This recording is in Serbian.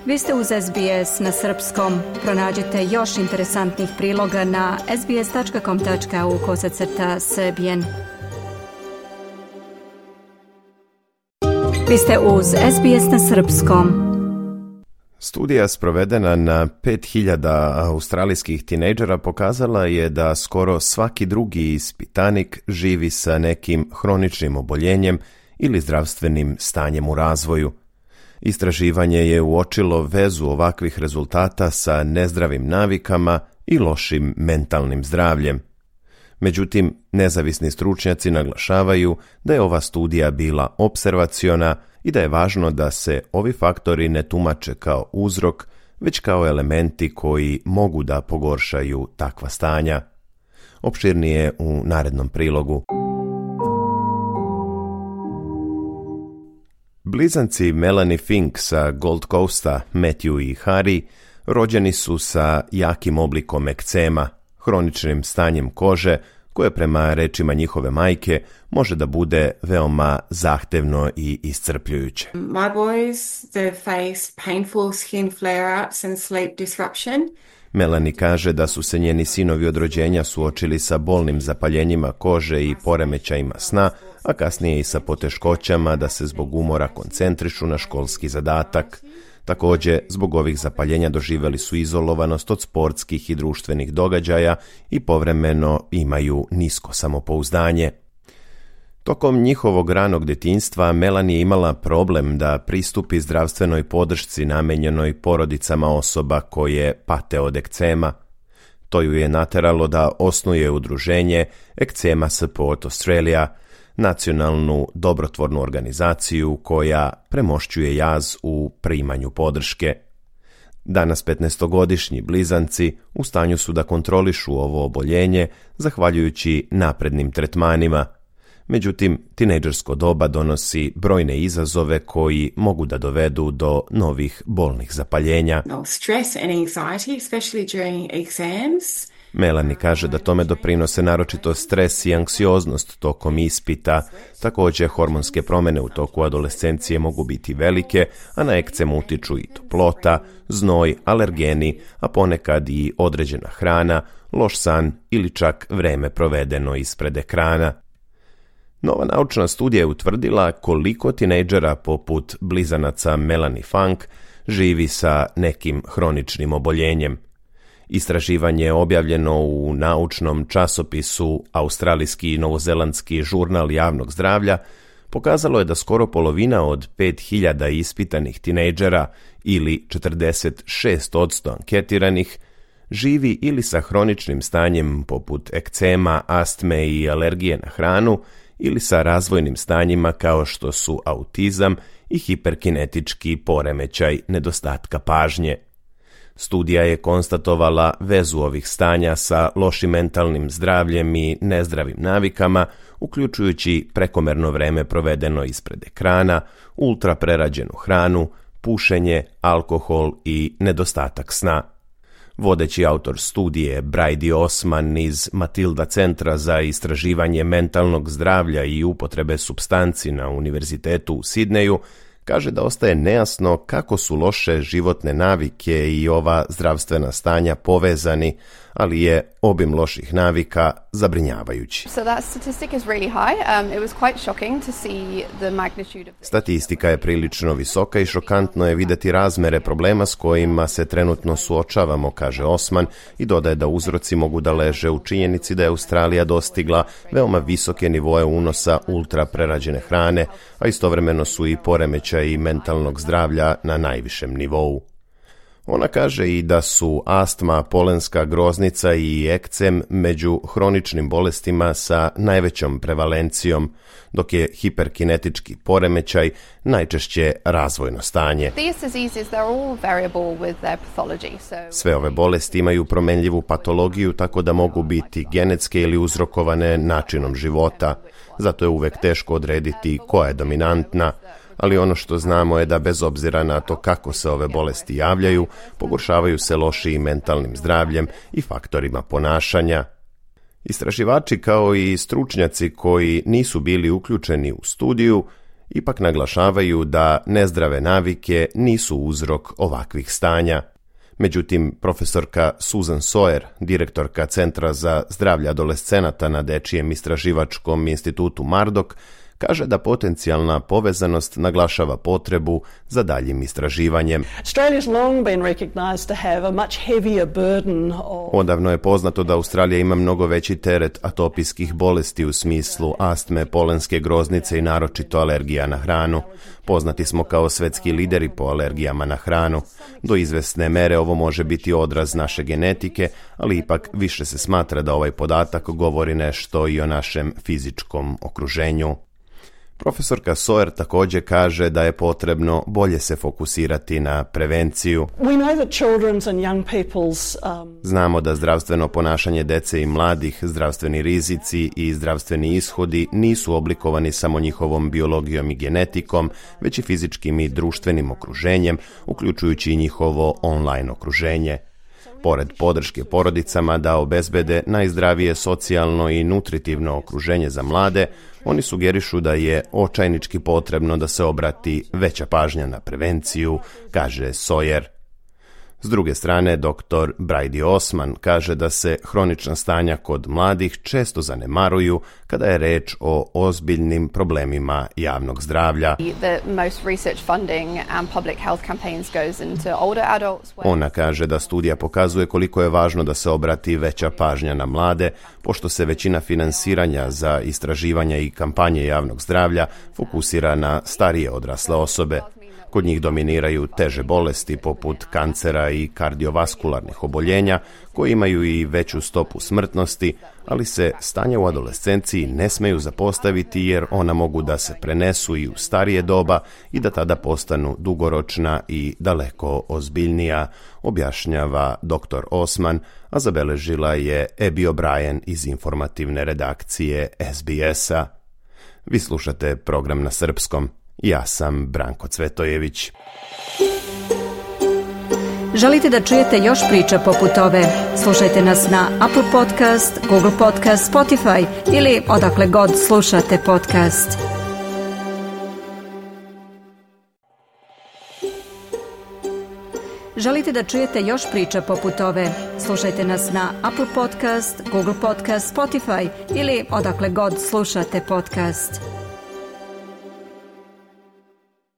Vi ste uz SBS na srpskom. Pronađite još interesantnih priloga na sbs.com.au/srbijen. Vi ste uz SBS na srpskom. Studija sprovedena na 5000 australijskih tinejdžera pokazala je da skoro svaki drugi ispitanik živi sa nekim hroničnim oboljenjem ili zdravstvenim stanjem u razvoju. Istraživanje je uočilo vezu ovakvih rezultata sa nezdravim navikama i lošim mentalnim zdravljem. Međutim, nezavisni stručnjaci naglašavaju da je ova studija bila opservaciona i da je važno da se ovi faktori ne tumače kao uzrok, već kao elementi koji mogu da pogoršaju takva stanja. Opširnije u narednom prilogu. Blizanci Melanie Fink sa Gold Coasta, Matthew i Harry, rođeni su sa jakim oblikom ekcema, hroničnim stanjem kože, koje prema rečima njihove majke može da bude veoma zahtevno i iscrpljujuće. My boys, they faced painful skin flare-ups and sleep disruption. Melanie kaže da su se njeni sinovi od rođenja suočili sa bolnim zapaljenjima kože i poremećajima sna, a kasnije i sa poteškoćama da se zbog umora koncentrišu na školski zadatak. Također, zbog ovih zapaljenja doživjeli su izolovanost od sportskih i društvenih događaja i povremeno imaju nisko samopouzdanje. Tokom njihovog ranog djetinjstva Melanie je imala problem da pristupi zdravstvenoj podršci namenjenoj porodicama osoba koje pate od ekcema. To ju je nateralo da osnuje udruženje Eczema Support Australia, nacionalnu dobrotvornu organizaciju koja premošćuje jaz u primanju podrške. Danas 15-godišnji blizanci u stanju su da kontrolišu ovo oboljenje zahvaljujući naprednim tretmanima. Međutim, tinejdžersko doba donosi brojne izazove koji mogu da dovedu do novih bolnih zapaljenja. Stress and anxiety, especially during exams. Melanie kaže da tome doprinose naročito stres i anksioznost tokom ispita. Također, hormonske promjene u toku adolescencije mogu biti velike, a na ekcemu utiču i toplota, znoj, alergeni, a ponekad i određena hrana, loš san ili čak vreme provedeno ispred ekrana. Nova naučna studija je utvrdila koliko tinejdžera poput blizanaca Melanie Funk živi sa nekim hroničnim oboljenjem. Istraživanje je objavljeno u naučnom časopisu Australijski i novozelandski žurnal javnog zdravlja. Pokazalo je da skoro polovina od 5000 ispitanih tinejdžera ili 46% anketiranih živi ili sa hroničnim stanjem poput ekcema, astme i alergije na hranu ili sa razvojnim stanjima kao što su autizam i hiperkinetički poremećaj nedostatka pažnje. Studija je konstatovala vezu ovih stanja sa lošim mentalnim zdravljem i nezdravim navikama, uključujući prekomerno vreme provedeno ispred ekrana, ultraprerađenu hranu, pušenje, alkohol i nedostatak sna. Vodeći autor studije Brady Osman iz Matilda Centra za istraživanje mentalnog zdravlja i upotrebe supstanci na Univerzitetu u Sidneju kaže da ostaje nejasno kako su loše životne navike i ova zdravstvena stanja povezani, ali je obim loših navika zabrinjavajući. Statistika je prilično visoka i šokantno je vidjeti razmere problema s kojima se trenutno suočavamo, kaže Osman, i dodaje da uzroci mogu da leže u činjenici da je Australija dostigla veoma visoke nivoe unosa ultraprerađene hrane, a istovremeno su i poremećaji mentalnog zdravlja na najvišem nivou. Ona kaže i da su astma, polenska groznica i ekcem među hroničnim bolestima sa najvećom prevalencijom, dok je hiperkinetički poremećaj najčešće razvojno stanje. Sve ove bolesti imaju promenljivu patologiju, tako da mogu biti genetske ili uzrokovane načinom života. Zato je uvek teško odrediti koja je dominantna, ali ono što znamo je da bez obzira na to kako se ove bolesti javljaju, pogoršavaju se lošijim mentalnim zdravljem i faktorima ponašanja. Istraživači kao i stručnjaci koji nisu bili uključeni u studiju Ipak naglašavaju da nezdrave navike nisu uzrok ovakvih stanja. Međutim, profesorka Susan Sawyer, direktorka Centra za zdravlje adolescenata na Dečijem istraživačkom institutu Murdoch, kaže da potencijalna povezanost naglašava potrebu za daljim istraživanjem. Odavno je poznato da Australija ima mnogo veći teret atopijskih bolesti u smislu astme, polenske groznice i naročito alergija na hranu. Poznati smo kao svetski lideri po alergijama na hranu. Do izvesne mere ovo može biti odraz naše genetike, ali ipak više se smatra da ovaj podatak govori nešto i o našem fizičkom okruženju. Profesorka Sawyer također kaže da je potrebno bolje se fokusirati na prevenciju. Znamo da zdravstveno ponašanje dece i mladih, zdravstveni rizici i zdravstveni ishodi nisu oblikovani samo njihovom biologijom i genetikom, već i fizičkim i društvenim okruženjem, uključujući i njihovo online okruženje. Pored podrške porodicama da obezbede najzdravije socijalno i nutritivno okruženje za mlade, oni sugerišu da je očajnički potrebno da se obrati veća pažnja na prevenciju, kaže Sawyer. S druge strane, dr. Brady Osman kaže da se hronična stanja kod mladih često zanemaruju kada je reč o ozbiljnim problemima javnog zdravlja. Ona kaže da studija pokazuje koliko je važno da se obrati veća pažnja na mlade, pošto se većina finansiranja za istraživanja i kampanje javnog zdravlja fokusira na starije odrasle osobe. Kod njih dominiraju teže bolesti poput kancera i kardiovaskularnih oboljenja, koji imaju i veću stopu smrtnosti, ali se stanja u adolescenciji ne smeju zapostaviti jer ona mogu da se prenesu i u starije doba i da tada postanu dugoročna i daleko ozbiljnija, objašnjava dr. Osman, a zabeležila je Abby O'Brien iz informativne redakcije SBS-a. Vi slušate program na srpskom. Ja sam Branko Cvetojević. Želite da čujete još priča poput ove? Slušajte nas na Apple Podcast, Google Podcast, Spotify ili odakle god slušate podcast. Želite da čujete još priča poput ove? Slušajte nas na Apple Podcast, Google Podcast, Spotify ili odakle god slušate podcast.